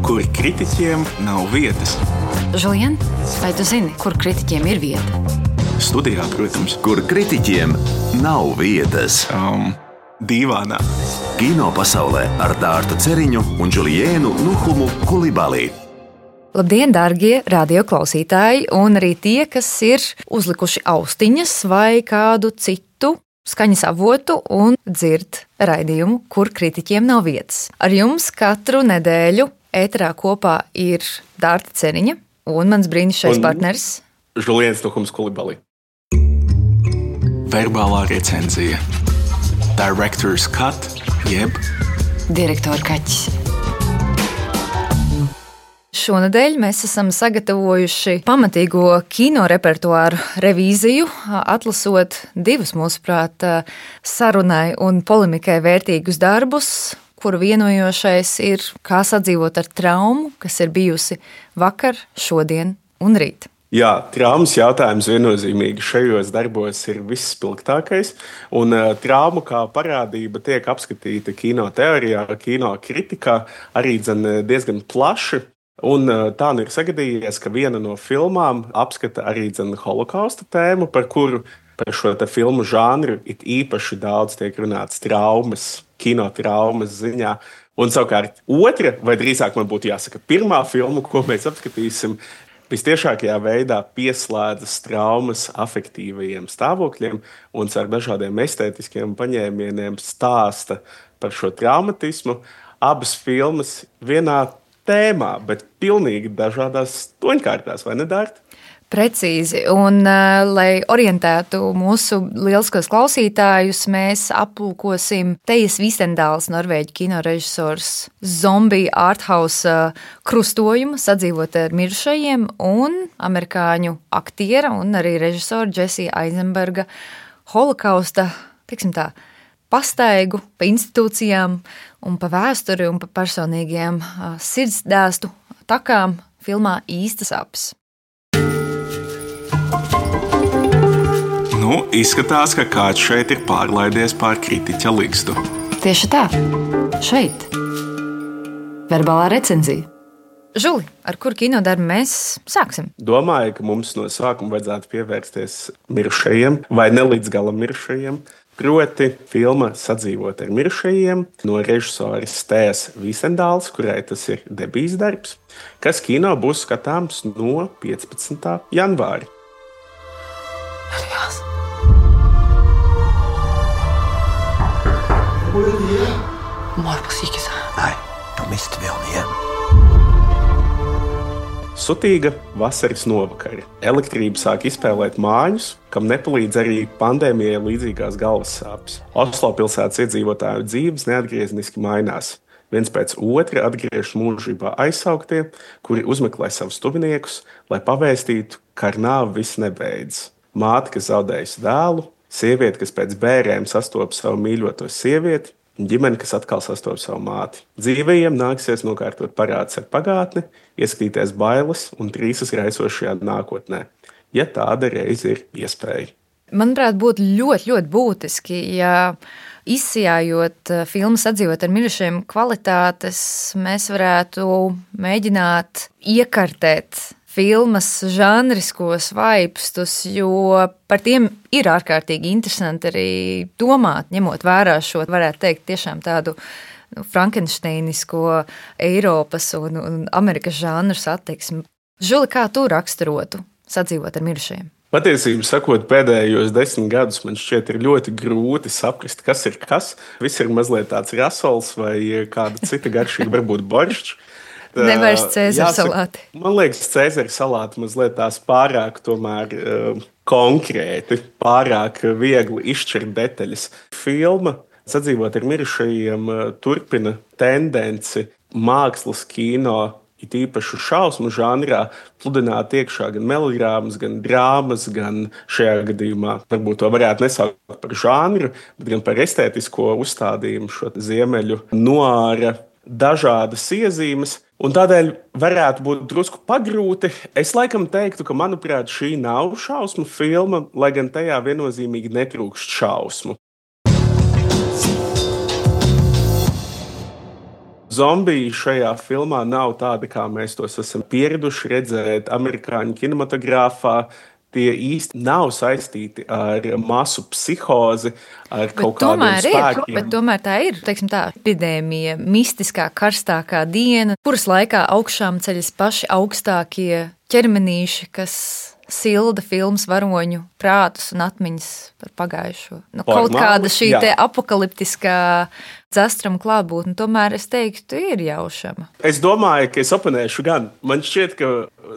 kur kritiķiem nav vietas. Žulien, vai tu zini, kur kritiķiem ir vieta? Studijā, protams. Kur kritiķiem nav vietas. Dīvānā. Kino pasaulē ar Dārtu Ceriņu un Džuliēnu Nuhumu Kulibalī. Labdien, dārgie radioklausītāji, un arī tie, kas ir uzlikuši austiņas vai kādu citu skaņas avotu un dzird raidījumu, kur kritiķiem nav vietas. Ar jums katru nedēļu ēterā kopā ir Dārta Ceriņa un mans brīnišķīgais partneris Džuliēns Nuhums Kulibalī. Verbālā recenzija. Director's cut, jeb direktora kaķis. Šonedēļ mēs esam sagatavojuši pamatīgo kino repertuāru revīziju, atlasot divus, mūsuprāt, sarunai un polemikai vērtīgus darbus, kuru vienojošais ir, kā sadzīvot ar traumu, kas ir bijusi vakar, šodien un rīt. Jā, traumas jautājums viennozīmīgi šajos darbos ir visspilgtākais, un trauma kā parādība tiek apskatīta kino teorijā, kino kritikā arī diezgan plaši. Un tā nu ir sagadījies, ka viena no filmām apskata arī holokausta tēmu, par kuru par šo filmu žanru it īpaši daudz tiek runāts traumas, kino traumas ziņā. Un savukārt otra, vai drīzāk man būtu jāsaka pirmā filma, ko mēs apskatīsim, vistiešākajā veidā pieslēdzas traumas afektīvajiem stāvokļiem un ar dažādiem estētiskiem paņēmieniem stāsta par šo traumatismu. Abas filmas vienā tēmā, bet pilnīgi dažādās toņkārtās, vai ne, Dārta? Precīzi, un lai orientētu mūsu lieliskos klausītājus, mēs aplūkosim Tejas Vistendāls, norvēģu kinorežisors, zombiju arthouse krustojumu sadzīvot ar mirušajiem un amerikāņu aktiera un arī režisora Jesija Eisenberga holokausta, teiksim tā, pastaigu pa institūcijām un pa vēsturi un pa personīgiem sirdsdēstu takām filmā Īstas apes. Nu, izskatās, ka kāds šeit ir pārlaidies pār kritiķa ligzdu. Tieši tā, šeit. Verbālā recenzija. Žuli, ar kur kinodarbu mēs sāksim? Domāju, ka mums no sākuma vajadzētu pievērsties mirušajiem vai ne līdz galam mirušajiem. Proti filma Sadzīvot ar mirušajiem no režisoras Tejas Vistendāls, kurai tas ir debijas darbs, kas kino būs skatāms no 15. janvāra. Nej, de miste vi om igen. Sutīga vasaras novakara. Elektrība sāk izspēlēt māņus, kam nepalīdz arī pandēmijai līdzīgās galvas sāpes. Oslo pilsētas iedzīvotāju dzīves neatgriezniski mainās. Viens pēc otra atgriežas mūžībā aizsauktie, kuri uzmeklē savus tuviniekus, lai pavēstītu, ka ar nāvi viss nebeidzas. Māte, kas zaudējusi dēlu, sieviete, kas pēc bērēm sastopas savu mīļoto sievieti, un ģimene, kas atkal sastopas savu māti. Dzīvajiem nāksies nokārtot parādus ar pagātni, ieskatīties bailes un trīsas raisošajā nākotnē, ja tāda reiz ir iespēja. Manuprāt, būtu ļoti, ļoti būtiski, ja izsijājot filmu Sadzīvot ar mirušajiem kvalitātes, mēs varētu mēģināt iekartēt filmas žanriskos vaipstus, jo par tiem ir ārkārtīgi interesanti arī domāt, ņemot vērā šo, varētu teikt, tiešām tādu frankensteinisko Eiropas un Amerikas žanru attieksmi. Žuli, kā tu raksturotu Sadzīvot ar mirušajiem? Patiesībā sakot, pēdējos 10 gadus man šķiet ir ļoti grūti saprast, kas ir kas. Viss ir mazliet tāds rasols vai kāda cita garšīga, varbūt boršķs. Nevairs Cēzara salāti. Man liekas, Cēzara salāti mazliet tās pārāk tomēr konkrēti, pārāk viegli izšķirt detaļas. Filma Sadzīvot ar mirušajiem turpina tendenci mākslas kino, it īpaši šausmu žanrā, pludināt iekšā gan melodrāmas, gan drāmas, gan šajā gadījumā varbūt to varētu nesaukt par žanru, bet gan par estētisko uzstādījumu, šo ziemeļu noāra dažādas iezīmes. Un tādēļ varētu būt drusku pagrūti. Es laikam teiktu, ka, manuprāt, šī nav šausmu filma, lai gan tajā viennozīmīgi netrūkst šausmu. zombiji šajā filmā nav tādi, kā mēs tos esam pieraduši redzēt amerikāņu kinematogrāfā. Tie īsti nav saistīti ar masu psihozi, ar kaut kādiem spēkiem. Bet tomēr tā ir, teiksim tā, epidēmija, mistiskā, karstākā diena, kuras laikā augšām ceļas paši augstākie ķermenīši, kas silda filmas varoņu prātus un atmiņas par pagājušo. Kaut kāda šī te apokaliptiskā dzastrama klātbūtne, tomēr es teiktu, ir jaušama. Es domāju, ka es oponēšu gan. Man šķiet, ka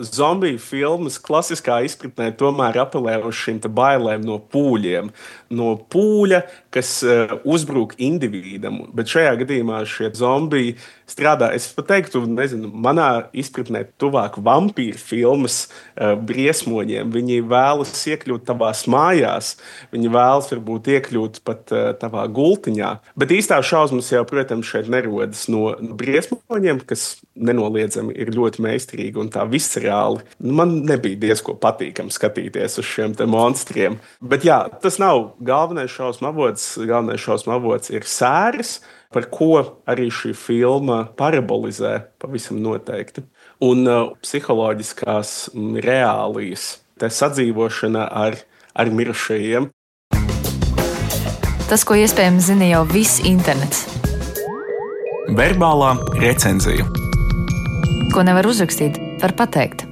zombiju filmas klasiskā izpratnē tomēr apelē uz šīm bailēm no pūļiem. No pūļa, kas uzbrūk individam. Bet šajā gadījumā šie zombiji strādā, es pat teiktu, manā izpratnē tuvāk vampīru filmas briesmoņiem. Viņi vēlas iekļūt tavās mājās, viņi vēlas varbūt iekļūt pat tavā gultiņā. Bet īstā šausmas jau, protams, šeit nerodas no briesmoņiem, kas nenoliedzami ir ļoti meistarīgi un tā viscerāli. Man nebija diezko patīkami skatīties uz šiem te monstriem. Bet jā, tas nav galvenais šausmu avots. Galvenais šausmu avots ir sēras, par ko arī šī filma parabolizē pavisam noteikti. Un psiholoģiskās reālijas, tā sadzīvošana ar mirušajiem. Tas, ko iespējams zina jau viss internets. Verbālā recenzija. Ko nevar uzrakstīt, var pateikt.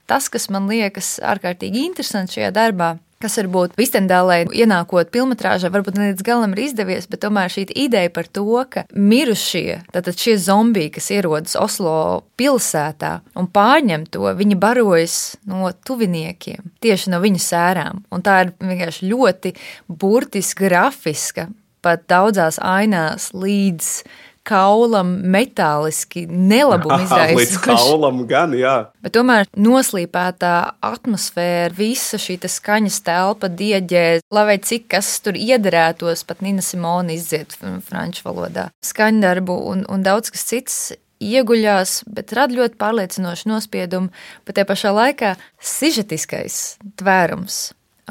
Tas, kas man liekas ārkārtīgi interesants šajā darbā, kas varbūt Vistendālē ienākot filmetrāžā, varbūt ne līdz galam ir izdevies, bet tomēr šī ideja par to, ka mirušie, tātad šie zombiji, kas ierodas Oslo pilsētā un pārņem to, viņi barojas no tuviniekiem, tieši no viņu sērām. Un tā ir vienkārši ļoti burtiski grafiska, pat daudzās ainās līdz kaulam metāliski nelabumu izraisoši. Līdz kaulam gan, jā. Bet tomēr noslīpētā atmosfēra, visa šī skaņas telpa, dieģē, lai vai cik kas tur iederētos, pat Nina Simone izdzied franču valodā. Skaņdarbu un daudz kas cits ieguļās, bet rada ļoti pārliecinošu nospiedumu, bet tie pašā laikā sižetiskais tvērums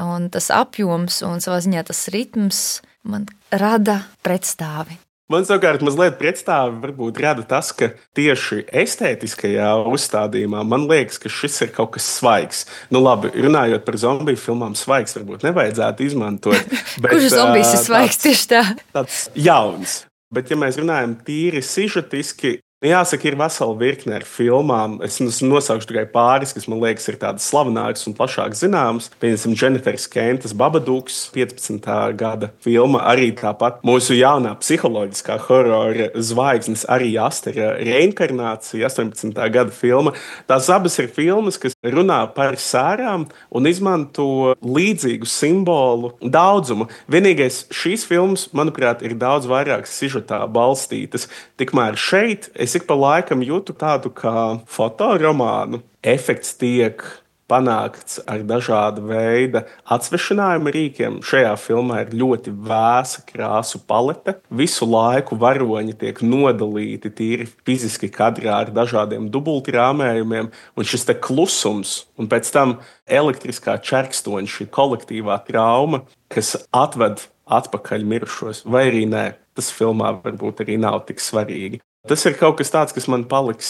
un tas apjoms un savā ziņā tas ritms man rada pretstāvi. Man savukārt mazliet pretstāvi varbūt rada tas, ka tieši estētiskajā uzstādījumā man liekas, ka šis ir kaut kas svaigs. Nu labi, runājot par zombiju filmām, svaigs varbūt nevajadzētu izmantot. Bet, kurš zombijs ir svaigs tieši tā? Tāds jauns. Bet ja mēs runājam tīri sižetiski, jāsaka, ir vesela virkne ar filmām. Es nosaukšu tikai pāris, kas man liekas ir tādas slavenākas un plašāk zināmas. Piemēram, Jennifer's Kentas Babadooks, 15. gada filma, arī tāpat mūsu jaunā psiholoģiskā horora zvaigznes Ari Astera reinkarnācija, 18. gada filma. Tās abas ir filmas, kas runā par sērām un izmanto līdzīgu simbolu daudzumu. Vienīgais šīs filmas, manuprāt, ir daudz vairāk sižetā balstītas. Tikmēr šeit es ik pa laikam jūtu tādu kā fotoromānu. Efekts tiek panākts ar dažāda veida atsvešinājuma rīkiem. Šajā filmā ir ļoti vēsa krāsu palete. Visu laiku varoņi tiek nodalīti tīri fiziski kadrā ar dažādiem dubultrāmējumiem. Un šis te klusums un pēc tam elektriskā čerkstoņa, šī kolektīvā trauma, kas atved atpakaļ mirušos, vai arī nē. Tas filmā varbūt arī nav tik svarīgi. Tas ir kaut kas tāds, kas man paliks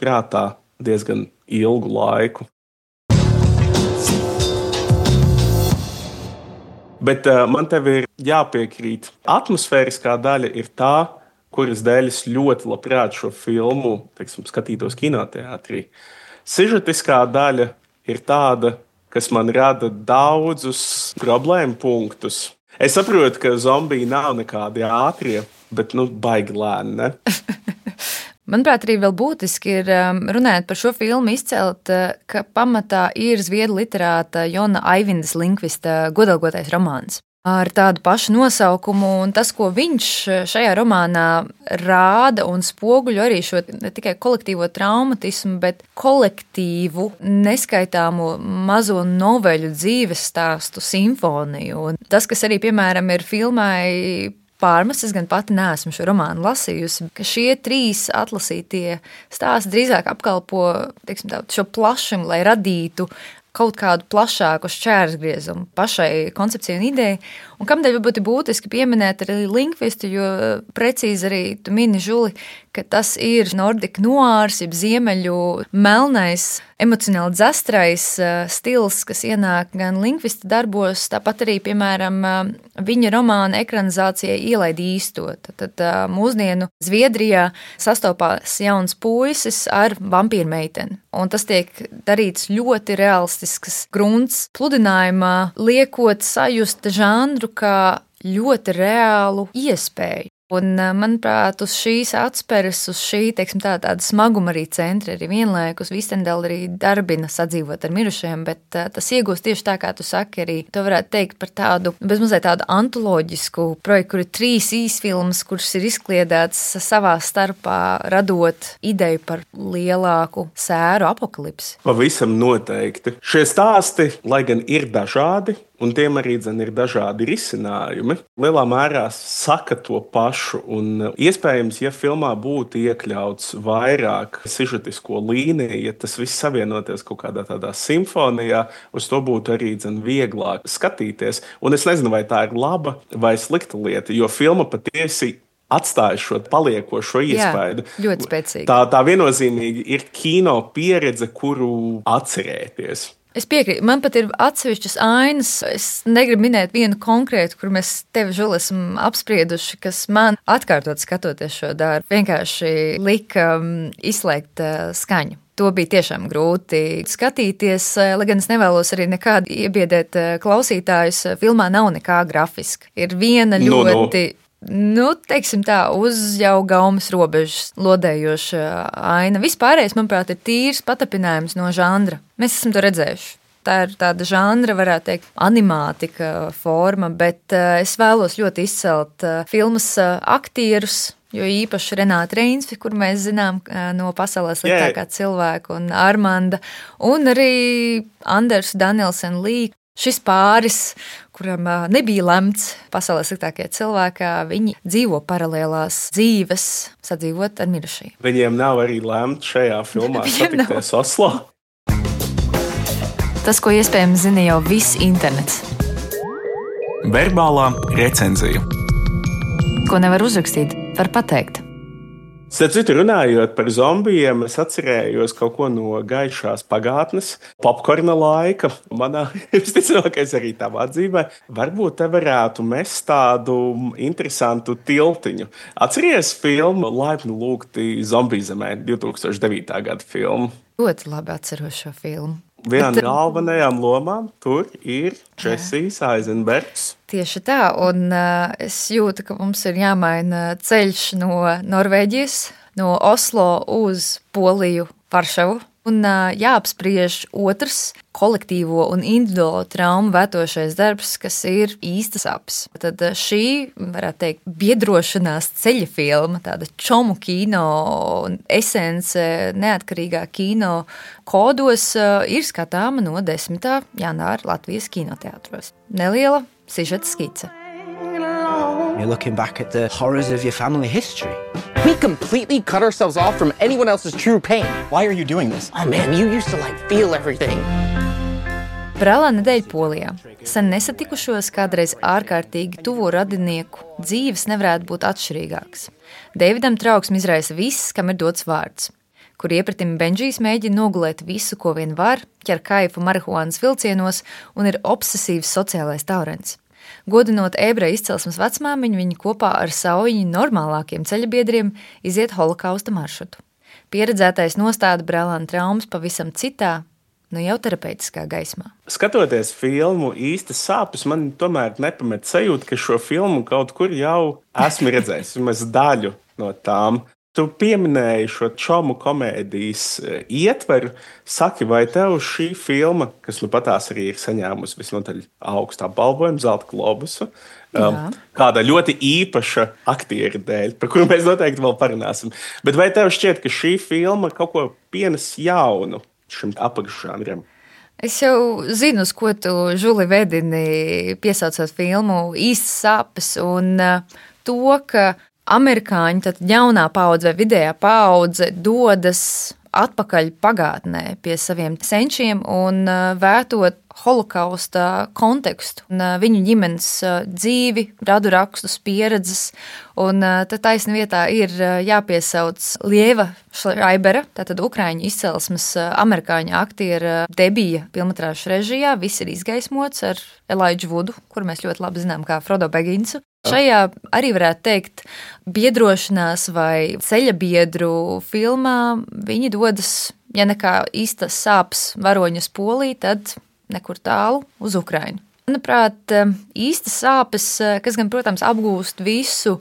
prātā diezgan ilgu laiku. Bet man tev ir jāpiekrīt. Atmosfēriskā daļa ir tā, kuras dēļ es ļoti labprāt šo filmu, skatītos kinoteātrī. Sižetiskā daļa ir tāda, kas man rada daudzus problēmu punktus. Es saprotu, ka zombiji nav nekādi ātrie, bet baigi lēni, ne? Manuprāt, arī vēl būtiski ir runājot par šo filmu izcelt, ka pamatā ir zviedru literāta Jona Aivindas Linkvista Godalgotais romāns. Ar tādu pašu nosaukumu, un tas, ko viņš šajā romānā rāda un spoguļo arī šo ne tikai kolektīvo traumatismu, bet kolektīvu neskaitāmo mazo noveļu dzīves stāstu simfoniju. Un tas, kas arī, piemēram, ir filmai pārmest, es gan pati neesmu šo romānu lasījusi, ka šie trīs atlasītie stāsti drīzāk apkalpo šo plašumu, lai radītu kaut kādu plašāku šķērsgriezumu pašai koncepcijai un idejai, Un kamdēļ varbūt ir būtiski pieminēt arī lingvistu, jo precīzi arī tu mini, Žuli, ka tas ir Nordic noārs, jeb ziemeļu melnais, emocionāli dzastrais stils, kas ienāk gan lingvista darbos, tāpat arī, piemēram, viņa romāna ekranizācijai Ielaid īsto. Tad mūsdienu Zviedrijā sastopās jauns puisis ar vampīru meiteni. Un tas tiek darīts ļoti realistisks grunts pludinājumā, liekot sajust žanru kā ļoti reālu iespēju. Un, manuprāt, uz šīs atspēres, uz šī, teiksim, tāda smaguma arī centra, arī vienlaikus Vistendela arī darbina sadzīvot ar mirušajiem, bet tas iegūst tieši tā, kā tu saki, arī to varētu teikt par tādu, bezmazliet tādu antoloģisku projektu, kur ir 3 īsfilmas, kuras ir izkliedētas savā starpā, radot ideju par lielāku sēru apokalipsi. Pavisam noteikti. Šie stāsti, lai gan ir dažādi, un tiem arī ir dažādi risinājumi, lielā mērā saka to pašu. Un iespējams, ja filmā būtu iekļauts vairāk sižetisko līniju, ja tas viss savienoties kaut kādā tādā simfonijā, uz to būtu arī vieglāk skatīties. Un es nezinu, vai tā ir laba vai slikta lieta, jo filma patiesi atstāja šo paliekošo iespaidu. Jā, ļoti spēcīgi. Tā viennozīmīgi ir kino pieredze, kuru atcerēties. Es piekrītu, man pat ir atsevišķas ainas. Es negribu minēt vienu konkrētu, kur mēs tevi, Žuli, esam apsprieduši, kas man atkārtot skatoties šo darbu, vienkārši lika izslēgt skaņu. To bija tiešām grūti skatīties, lai gan es nevēlos arī nekādi iebiedēt klausītājus. Filmā nav nekā grafiska. Ir viena ļoti... teiksim tā, uz jau gaumas robežas lodējoša aina. Vispārējais, manuprāt, ir tīrs patapinājums no žanra. Mēs esam to redzējuši. Tā ir tāda žanra, varētu teikt, animātika forma, bet es vēlos ļoti izcelt filmas aktierus, jo īpaši Renāta Reinsvi, kur mēs zinām no Pasaulē sliktākā cilvēka, un Armanda, un arī Anders Danielsen Lī. Šis pāris, kuram nebija lemts pasaulē sliktākajā cilvēkā, viņi dzīvo paralēlās dzīves, sadzīvot ar mirušajiem. Viņiem nav arī lemts šajā filmā satikties Oslo. Tas, ko iespējams zina jau viss internets. Verbālā recenzija. Ko nevar uzrakstīt, var pateikt. Starp citu, runājot par zombijiem, es atcerējos kaut ko no gaišās pagātnes, popkorna laika. Manā visticamākais arī tavā dzīvē. Varbūt te varētu mest tādu interesantu tiltiņu. Atceries filmu Laipni lūgti zombiju zemē, 2009. gada filmu? Ļoti labi atceros šo filmu. Viena no galvenajām lomām tur ir Džesijs Eizenbergs. Tieši tā, un es jūtu, ka mums ir jāmaina ceļš no Norvēģijas, no Oslo uz Poliju, Varšavu. Un jāapspriež otrs kolektīvo un individuālo traumu vētošais darbs, kas ir īstas sapes. Tad šī, varētu teikt, biedrošanās ceļa filma, tāda čomu kino esence, neatkarīgā kino kodos, ir skatāma no 10. janvāra Latvijas kinoteātros. Neliela sižeta skice. You're looking back at the horrors of your family history. We completely cut ourselves off from anyone else's true pain. Why are you doing this? Oh man, you used to feel everything. Brālā nedēļa Polijā. Sen nesatikušos kādreiz ārkārtīgi tuvu radinieku dzīves nevarētu būt atšķirīgāks. Deividam trauksmi izraisa viss, kam ir dots vārds. Kur iepratim Benžijs mēģina nogulēt visu, ko vien var, ķer kaifu marihuānas vilcienos un ir obsesīvs sociālais taurens. Godinot ebreju izcelsmes vecmāmiņu, viņi kopā ar savu normālākiem ceļabiedriem iziet holokausta maršrutu. Pieredzētais nostāda brālēna traumas pavisam citā, jau terapeitiskā gaismā. Skatoties filmu īstas sāpes, man tomēr nepamet sajūta, ka šo filmu kaut kur jau esmu redzējis, vismaz daļu no tām. Tu pieminēji šo čomu komēdijas ietveru. Saki, vai tev šī filma, kas patās arī ir saņēmusi visnotaļ augstu apbalvojumu, Zelta globusu, kāda ļoti īpaša aktiera dēļ, par kuru mēs noteikti vēl parunāsim. Bet vai tev šķiet, ka šī filma kaut ko pienes jaunu šim apakšžanram? Es jau zinu, uz ko tu, Žuli, vedini, piesaucot filmu īstas sapes un to, ka amerikāņi, tad jaunā paudze vai vidējā paudze dodas atpakaļ pagātnē pie saviem senčiem un vērtot holokausta kontekstu, un viņu ģimenes dzīvi, radu rakstus, pieredzes. Un tad taisni vietā ir jāpiesauc Lieva Šraibera, tātad ukraiņu izcelsmes amerikāņu aktiera debija filmatrāžu režijā. Viss ir izgaismots ar Elijah Woodu, kuru mēs ļoti labi zinām kā Frodo Bagginsu. Šajā arī varētu teikt biedrošanās vai ceļabiedru filmā viņi dodas, ja nekā īstas sāpes varoņas Polī, tad nekur tālu uz Ukrainu. Manuprāt, īstas sāpes, kas gan, protams, apgūst visu,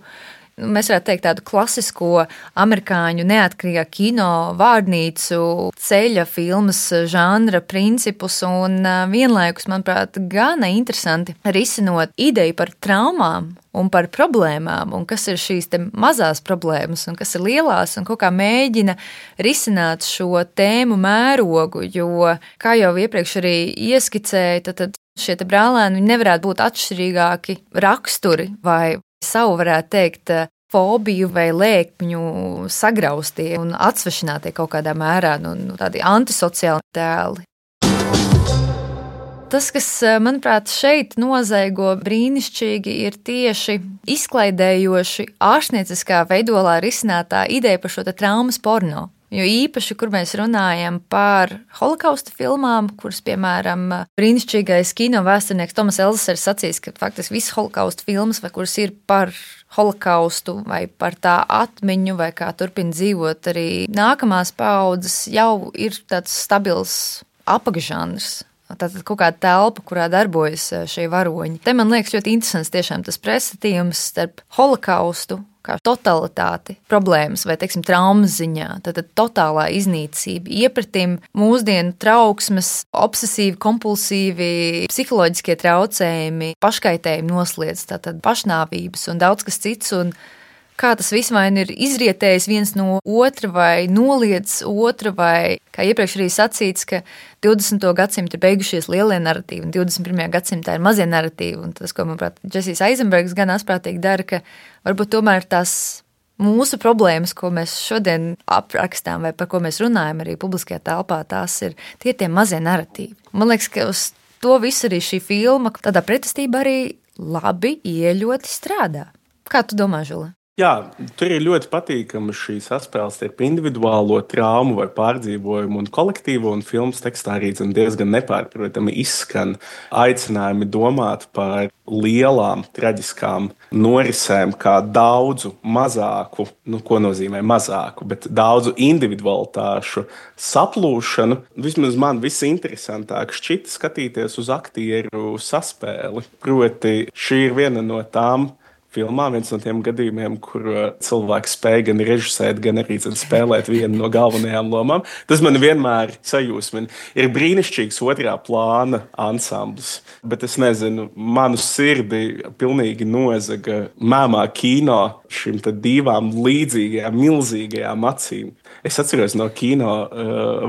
mēs varētu teikt tādu klasisko amerikāņu neatkarīgā kino vārnīcu ceļa filmas žanra principus un vienlaikus, manuprāt, gana interesanti risinot ideju par traumām un par problēmām, un kas ir šīs te mazās problēmas, un kas ir lielās, un kaut kā mēģina risināt šo tēmu mērogu, jo, kā jau iepriekš arī ieskicēju, tad šie te brālēni nevarētu būt atšķirīgāki raksturi vai savu, varētu teikt, fobiju vai lēkmju sagraustie un atsvešinātie kaut kādā mērā, tādi antisociāli tēli. Tas, kas, manuprāt, šeit nozaigo brīnišķīgi, ir tieši izklaidējoši ārstnieciskā veidolā risinātā ideja par šo te traumas porno. Jo īpaši, kur mēs runājam par holokausta filmām, kuras, piemēram, brīnišķīgais kino vēsturnieks Tomas Elzesers sacīs, ka faktiski visas holokausta filmas, vai kuras ir par holokaustu vai par tā atmiņu, vai kā turpina dzīvot arī nākamās paaudzes, jau ir tāds stabils apakšžanrs. Tātad kaut kāda telpa, kurā darbojas šie varoņi. Te man liekas ļoti interesants tiešām tas pretstatījums starp holokaustu kā totalitāti, problēmas vai, teiksim, traumas ziņā. Tātad totālā iznīcība, iepratim mūsdienu trauksmes, obsesīvi, kompulsīvi, psiholoģiskie traucējumi, paškaitējumi nosliedz, tātad pašnāvības un daudz kas cits, un kā tas viss vai ir izrietējis viens no otra vai noliedz otra, vai, kā iepriekš arī sacīts, ka 20. gadsimta ir beigušies lielie narratīvi, un 21. gadsimtā ir mazie narratīvi, un tas, ko, manuprāt, Džesijs Eizenbergs gan asprātīgi dara, ka varbūt tomēr tās mūsu problēmas, ko mēs šodien aprakstām, vai par ko mēs runājam arī publiskajā telpā, tās ir tie mazie narratīvi. Man liekas, ka uz to visu arī šī filma, tādā pretestībā arī labi ieļoti strādā. Kā tu domā, Žula? Jā, tur ir ļoti patīkama šī saspēle starp individuālo traumu vai pārdzīvojumu un kolektīvo, un filmas tekstā arī diezgan nepārprotami izskan aicinājumi domāt par lielām traģiskām norisēm kā daudzu mazāku, ko nozīmē mazāku, bet daudzu individualitāšu saplūšanu. Vismaz man visinteresantāk šķita skatīties uz aktieru saspēli. Proti, šī ir viena no tām filmā, viens no tiem gadījumiem, kur cilvēks spēja gan režisēt, gan arī spēlēt vienu no galvenajām lomām. Tas man vienmēr sajūsmina. Ir brīnišķīgs otrā plāna ansamblis, bet es nezinu, manu sirdi pilnīgi nozaga mēmā kino šīm divām līdzīgajām, milzīgajām acīm. Es atceros no kino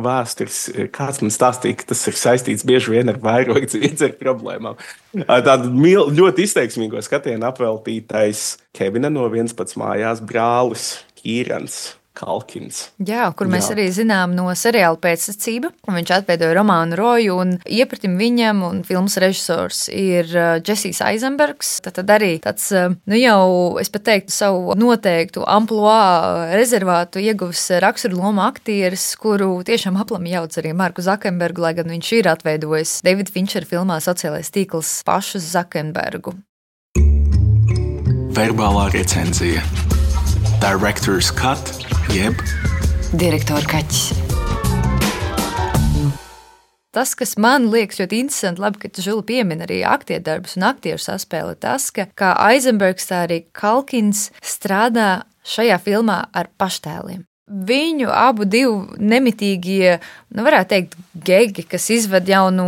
vēstures, kāds man stāstīja, ka tas ir saistīts bieži vien ar vairogu dziedzera problēmām. Tādu ļoti izteiksmīgo skatienu apveltītais Kevina no 11 mājās brālis Kīrans Kalkins. Jā, kur mēs arī zinām no seriāla Pēcsacība. Viņš atveidoja romānu Roju, un iepratim viņam un filmas režisors ir Džesijs Eizenbergs. Tad arī tāds, jau, es pat teiktu, savu noteiktu amploā rezervātu ieguvis raksturu loma aktieris, kuru tiešām aplami jauc arī Marku Zakenbergu, lai gan viņš ir atveidojis Davida Finčera filmā Sociālais tīkls pašu Zakenbergu. Verbālā recenzija. Director's cut, jeb direktora kaķis. Tas, kas man liekas ļoti interesanti, labi, ka tu, Žula, piemini arī aktierdarbus un aktieru saspēli, tas, ka kā Eizenbergs, tā arī Kalkins strādā šajā filmā ar paštēliem. Viņu abu divu nemitīgie, varētu teikt, gegi, kas izved jau no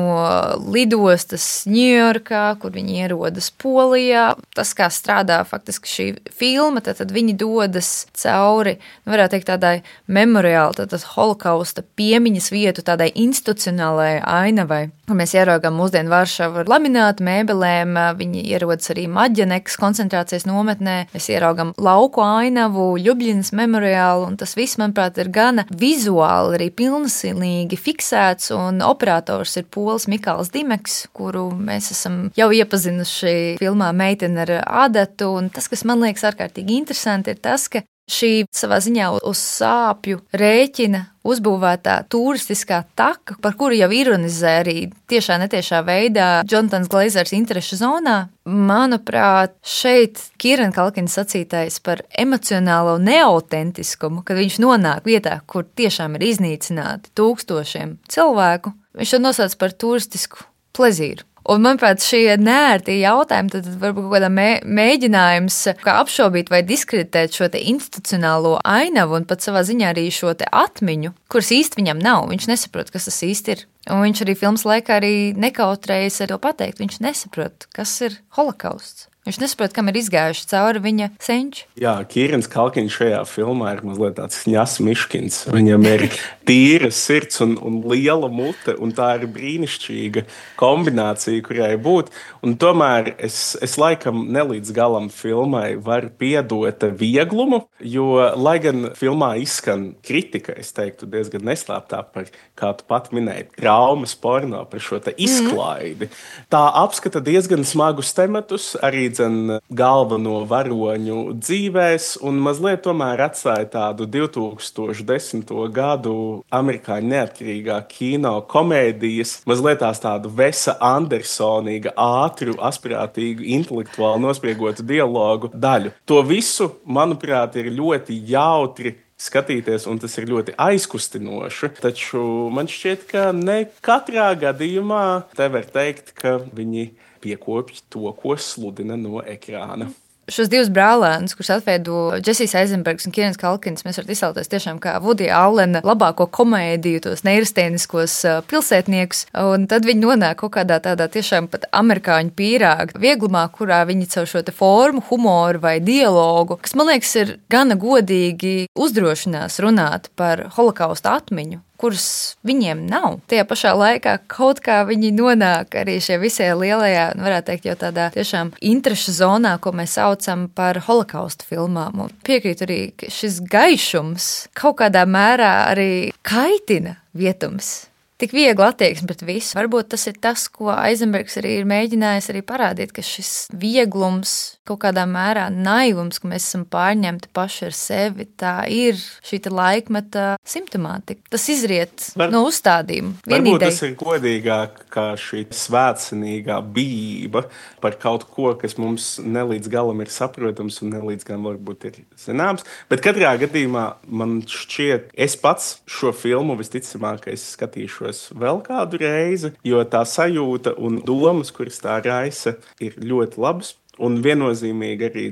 lidostas Ņujorkā, kur viņi ierodas Polijā. Tas, kā strādā faktiski šī filma, tad viņi dodas cauri, varētu teikt, tādai memoriāli, tātad holokausta piemiņas vietu, tādai institucionālajai ainavai. Mēs ieraugām mūsdienu Varšavu ar laminātu mēbelēm, viņi ierodas arī Maģenekas koncentrācijas nometnē, mēs ieraugām lauku ainavu, Ļubļinas memoriālu, un tas viss viss, manuprāt, ir gana vizuāli arī pilnīgi fiksēts, un operators ir pols Mikāls Dimeks, kuru mēs esam jau iepazinuši filmā Meitene ar adatu, un tas, kas man liekas ārkārtīgi interesanti, ir tas, ka šī savā ziņā uz sāpju rēķina uzbūvētā turistiskā taka, par kuru jau ironizē arī tiešā netiešā veidā Jonathans Glazers interešu zonā, manuprāt, šeit Kieran Culkina sacītais par emocionālo neautentiskumu, kad viņš nonāk vietā, kur tiešām ir iznīcināti tūkstošiem cilvēku, viņš to nosauc par turistisku plezīru. Un, manuprāt, šie neērti jautājumi, tad varbūt kaut kādā mēģinājums kā apšaubīt vai diskreditēt šo te institucionālo ainavu un pat savā ziņā arī šo te atmiņu, kuras īsti viņam nav. Viņš nesaprot, kas tas īsti ir. Un viņš arī filmas laikā arī nekautrējas ar to pateikt. Viņš nesaprot, kas ir holokausts. Viņš nesaprot, kam ir izgājuši cauri viņa senči. Jā, Kierans Culkins šajā filmā ir mazliet tāds ņas miškins. Viņam ir tīra sirds un liela mute, un tā ir brīnišķīga kombinācija, kurai būt. Un tomēr es laikam nelīdz galam filmai varu piedot vieglumu, jo, lai gan filmā izskan kritika, es teiktu diezgan neslēptā par, kā tu pat minēji, traumas porno, par šo te izklaidi. Tā apskata diezgan smagus tematus, arī galveno varoņu dzīvēs, un mazliet tomēr atstāja tādu 2010. Gadu amerikāņu neatkarīgā kino komēdijas, mazliet tādu Vesa Andersonīga, ātru, asprātīgu, intelektuāli nospriegotu dialogu daļu. To visu, manuprāt, ir ļoti jautri skatīties, un tas ir ļoti aizkustinoši. Taču man šķiet, ka ne katrā gadījumā te var teikt, ka viņi piekopj to, ko sludina no ekrāna. Šos divus brālēnus, kurus atveido Džesijs Eizenbergs un Kierans Culkins, mēs varam iztēloties tiešām kā Vudija Allena labāko komēdiju, tos neirastēniskos pilsētniekus, un tad viņi nonāk kaut kādā tādā tiešām pat amerikāņu pīrāga vieglumā, kurā viņi caur šo te formu, humoru vai dialogu, kas, man liekas, ir gana godīgi uzdrošinās runāt par holokausta atmiņu, kuras viņiem nav. Tajā pašā laikā kaut kā viņi nonāk arī šie visai lielajā, varētu teikt, jau tādā tiešām interešu zonā, ko mēs saucam par holokausta filmām. Un piekrītu arī, ka šis gaišums kaut kādā mērā arī kaitina vietums. Tik viegli attieksme pret visu. Varbūt tas ir tas, ko Eizenbergs arī ir mēģinājis arī parādīt, ka šis vieglums, kaut kādā mērā naivums, ka mēs esam pārņemti paši ar sevi, tā ir šī laikmeta simptomātika. Tas izriet no uzstādījuma. Varbūt tas ir godīgāk, kā šī svētcenīgā bijība par kaut ko, kas mums nelīdz galam ir saprotams un nelīdz galam varbūt ir zināms. Bet katrā gadījumā man šķiet, es pats šo filmu visticamākais skatīšos vēl kādu reizi, jo tā sajūta un domas, kuras tā raisa, ir ļoti labas. Un viennozīmīgi arī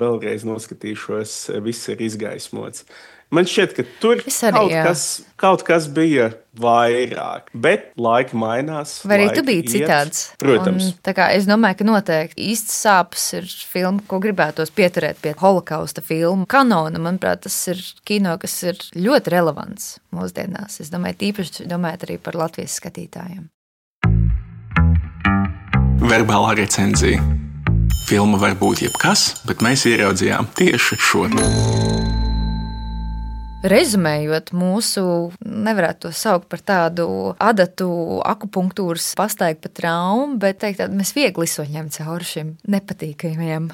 vēlreiz noskatīšos, viss ir izgaismots. Man šķiet, ka tur kaut kas bija vairāk, bet laika mainās. Vai arī tu biji citāds? Protams. Un, es domāju, ka noteikti īsts sāpes ir filma, ko gribētos pieturēt pie holokausta filmu kanona. Manuprāt, tas ir kino, kas ir ļoti relevants mūsdienās. Es domāju, tīpaši domājot arī par Latvijas skatītājiem. Verbālā recenzija. Filma var būt jebkas, bet mēs ieraudzījām tieši šo. Rezumējot mūsu, nevarētu to saukt par tādu adatu akupunktūras pastaigu pa traumu, bet teikt, mēs viegli izsoņām cauri šim nepatīkamajam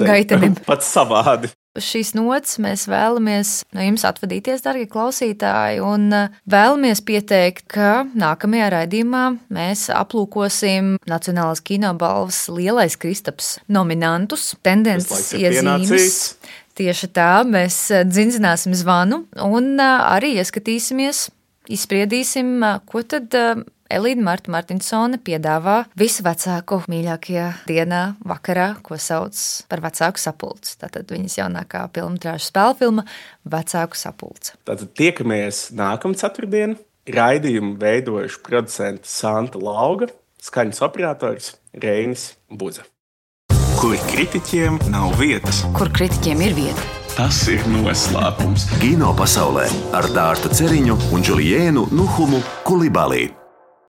gaitenim. Pat savādi. Šīs nots mēs vēlamies no jums atvadīties, darbie klausītāji, un vēlamies pieteikt, ka nākamajā raidījumā mēs aplūkosim Nacionālās kinobalvas Lielais Kristaps nominantus, tendences iezīmes. Tieši tā, mēs dzindzināsim zvanu un arī ieskatīsimies, izspriedīsim, ko tad Elīna Marta Martinsone piedāvā visu vecāku mīļākajā dienā, vakarā, ko sauc par vecāku sapulci. Tātad viņas jaunākā filmatrāža spēļu filma Vecāku sapulce. Tātad tiekamies nākamā ceturtdiena. Raidījumu veidojuši producenti Santa Lauga, skaņas operators Reinis Buza. Kur kritiķiem nav vietas. Kur kritiķiem ir vieta. Tas ir noslēpums. Kino pasaulē ar Dārtu Ceriņu un Džuliēnu Nuhumu Kulibalī.